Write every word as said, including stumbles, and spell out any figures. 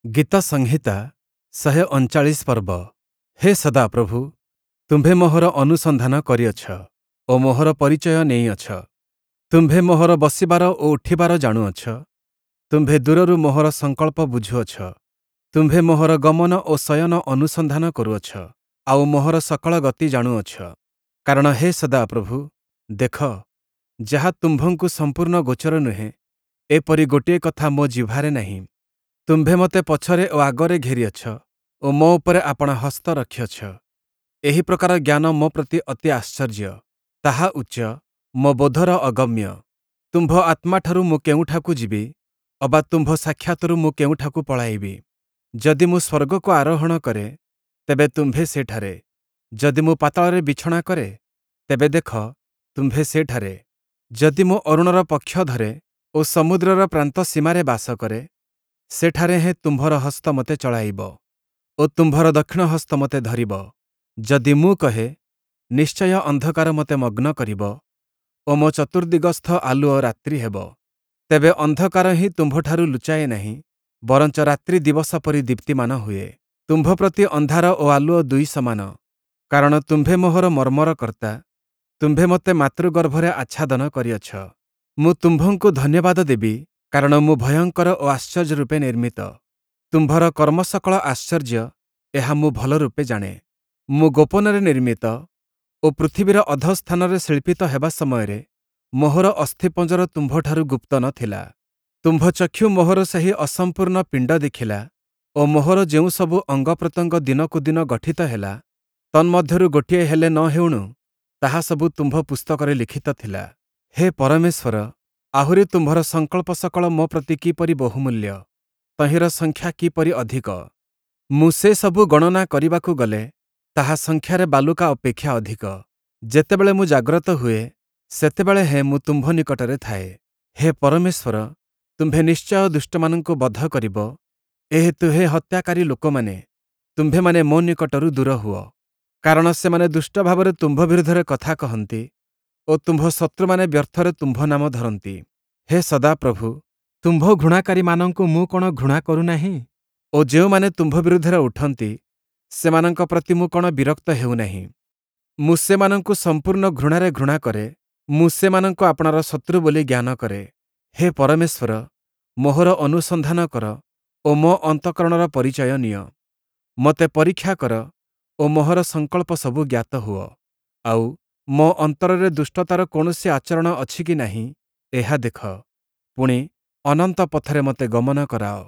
ଗୀତ ସଂହିତା ଶହେ ଅଣଚାଳିଶ ପର୍ବ। ହେ ସଦାପ୍ରଭୁ, ତୁମ୍ଭେ ମୋହର ଅନୁସନ୍ଧାନ କରିଅଛ ଓ ମୋହର ପରିଚୟ ନେଇଅଛ। ତୁମ୍ଭେ ମୋହର ବସିବାର ଓ ଉଠିବାର ଜାଣୁଅଛ। ତୁମ୍ଭେ ଦୂରରୁ ମୋହର ସଂକଳ୍ପ ବୁଝୁଅଛ। ତୁମ୍ଭେ ମୋହର ଗମନ ଓ ଶୟନ ଅନୁସନ୍ଧାନ କରୁଅଛ, ଆଉ ମୋହର ସକଳ ଗତି ଜାଣୁଅଛ। କାରଣ ହେ ସଦାପ୍ରଭୁ, ଦେଖ, ଯାହା ତୁମ୍ଭଙ୍କୁ ସମ୍ପୂର୍ଣ୍ଣ ଗୋଚର ନୁହେଁ, ଏପରି ଗୋଟିଏ କଥା ମୋ ଜିହ୍ବାରେ ନାହିଁ। ତୁମ୍ଭେ ମୋତେ ପଛରେ ଓ ଆଗରେ ଘେରିଅଛ ଓ ମୋ ଉପରେ ଆପଣା ହସ୍ତ ରଖିଅଛ। ଏହି ପ୍ରକାର ଜ୍ଞାନ ମୋ ପ୍ରତି ଅତି ଆଶ୍ଚର୍ଯ୍ୟ, ତାହା ଉଚ୍ଚ, ମୋ ବୋଧର ଅଗମ୍ୟ। ତୁମ୍ଭ ଆତ୍ମାଠାରୁ ମୁଁ କେଉଁଠାକୁ ଯିବି, ଅବା ତୁମ୍ଭ ସାକ୍ଷାତରୁ ମୁଁ କେଉଁଠାକୁ ପଳାଇବି? ଯଦି ମୁଁ ସ୍ୱର୍ଗକୁ ଆରୋହଣ କରେ, ତେବେ ତୁମ୍ଭେ ସେଠାରେ; ଯଦି ମୁଁ ପାତାଳରେ ବିଛଣା କରେ, ତେବେ ଦେଖ, ତୁମ୍ଭେ ସେଠାରେ। ଯଦି ମୁଁ ଅରୁଣର ପକ୍ଷ ଧରେ ଓ ସମୁଦ୍ରର ପ୍ରାନ୍ତ ସୀମାରେ ବାସ କରେ, ସେଠାରେ ହେଁ ତୁମ୍ଭର ହସ୍ତ ମୋତେ ଚଳାଇବ ଓ ତୁମ୍ଭର ଦକ୍ଷିଣ ହସ୍ତ ମୋତେ ଧରିବ। ଯଦି ମୁଁ କହେ, ନିଶ୍ଚୟ ଅନ୍ଧକାର ମୋତେ ମଗ୍ନ କରିବ ଓ ମୋ ଚତୁର୍ଦ୍ଦିଗସ୍ଥ ଆଲୁଅ ରାତ୍ରି ହେବ, ତେବେ ଅନ୍ଧକାର ହିଁ ତୁମ୍ଭଠାରୁ ଲୁଚାଏ ନାହିଁ, ବରଞ୍ଚ ରାତ୍ରି ଦିବସ ପରି ଦୀପ୍ତିମାନ ହୁଏ। ତୁମ୍ଭ ପ୍ରତି ଅନ୍ଧାର ଓ ଆଲୁଅ ଦୁଇ ସମାନ, କାରଣ ତୁମ୍ଭେ ମୋହର ମର୍ମର କର୍ତ୍ତା, ତୁମ୍ଭେ ମୋତେ ମାତୃଗର୍ଭରେ ଆଚ୍ଛାଦନ କରିଅଛ। ମୁଁ ତୁମ୍ଭଙ୍କୁ ଧନ୍ୟବାଦ ଦେବି, କାରଣ ମୁଁ ଭୟଙ୍କର ଓ ଆଶ୍ଚର୍ଯ୍ୟ ରୂପେ ନିର୍ମିତ। ତୁମ୍ଭର କର୍ମସକଳ ଆଶ୍ଚର୍ଯ୍ୟ, ଏହା ମୁଁ ଭଲରୂପେ ଜାଣେ। ମୁଁ ଗୋପନରେ ନିର୍ମିତ ଓ ପୃଥିବୀର ଅଧଃସ୍ଥାନରେ ଶିଳ୍ପିତ ହେବା ସମୟରେ ମୋହର ଅସ୍ଥିପଞ୍ଜର ତୁମ୍ଭଠାରୁ ଗୁପ୍ତ ନ ଥିଲା। ତୁମ୍ଭ ଚକ୍ଷୁ ମୋହର ସେହି ଅସମ୍ପୂର୍ଣ୍ଣ ପିଣ୍ଡ ଦେଖିଲା ଓ ମୋହର ଯେଉଁସବୁ ଅଙ୍ଗପ୍ରତ୍ୟଙ୍ଗ ଦିନକୁ ଦିନ ଗଠିତ ହେଲା, ତନ୍ମଧ୍ୟରୁ ଗୋଟିଏ ହେଲେ ନ ହେଉଣୁ ତାହା ସବୁ ତୁମ୍ଭ ପୁସ୍ତକରେ ଲିଖିତ ଥିଲା। ହେ ପରମେଶ୍ୱର, ଆହୁରି ତୁମ୍ଭର ସଂକଳ୍ପ ସକଳ ମୋ ପ୍ରତି କିପରି ବହୁମୂଲ୍ୟ! ତହିଁର ସଂଖ୍ୟା କିପରି ଅଧିକ! ମୁଁ ସେସବୁ ଗଣନା କରିବାକୁ ଗଲେ, ତାହା ସଂଖ୍ୟାରେ ବାଲୁକା ଅପେକ୍ଷା ଅଧିକ। ଯେତେବେଳେ ମୁଁ ଜାଗ୍ରତ ହୁଏ, ସେତେବେଳେ ହେଁ ମୁଁ ତୁମ୍ଭ ନିକଟରେ ଥାଏ। ହେ ପରମେଶ୍ୱର, ତୁମ୍ଭେ ନିଶ୍ଚୟ ଦୁଷ୍ଟମାନଙ୍କୁ ବଧ କରିବ, ଏହେତୁ ହେ ହତ୍ୟାକାରୀ ଲୋକମାନେ, ତୁମ୍ଭେମାନେ ମୋ ନିକଟରୁ ଦୂର ହୁଅ। କାରଣ ସେମାନେ ଦୁଷ୍ଟ ଭାବରେ ତୁମ୍ଭ ବିରୁଦ୍ଧରେ କଥା କହନ୍ତି ଓ ତୁମ୍ଭ ଶତ୍ରୁମାନେ ବ୍ୟର୍ଥରେ ତୁମ୍ଭ ନାମ ଧରନ୍ତି। ହେ ସଦାପ୍ରଭୁ, ତୁମ୍ଭ ଘୃଣାକାରୀମାନଙ୍କୁ ମୁଁ କ'ଣ ଘୃଣା କରୁନାହିଁ? ଓ ଯେଉଁମାନେ ତୁମ୍ଭ ବିରୁଦ୍ଧରେ ଉଠନ୍ତି, ସେମାନଙ୍କ ପ୍ରତି ମୁଁ କ'ଣ ବିରକ୍ତ ହେଉନାହିଁ? ମୁଁ ସେମାନଙ୍କୁ ସମ୍ପୂର୍ଣ୍ଣ ଘୃଣାରେ ଘୃଣା କରେ, ମୁଁ ସେମାନଙ୍କୁ ଆପଣାର ଶତ୍ରୁ ବୋଲି ଜ୍ଞାନ କରେ। ହେ ପରମେଶ୍ୱର, ମୋହର ଅନୁସନ୍ଧାନ କର ଓ ମୋ ଅନ୍ତଃକରଣର ପରିଚୟ ନିଅ। ମୋତେ ପରୀକ୍ଷା କର ଓ ମୋହର ସଂକଳ୍ପ ସବୁ ଜ୍ଞାତ ହୁଅ, ଆଉ ମୋ ଅନ୍ତରରେ ଦୁଷ୍ଟତାର କୌଣସି ଆଚରଣ ଅଛି କି ନାହିଁ, ଏହା ଦେଖ, ପୁଣି, ଅନନ୍ତ ପଥରେ ମୋତେ ଗମନ କରାଅ।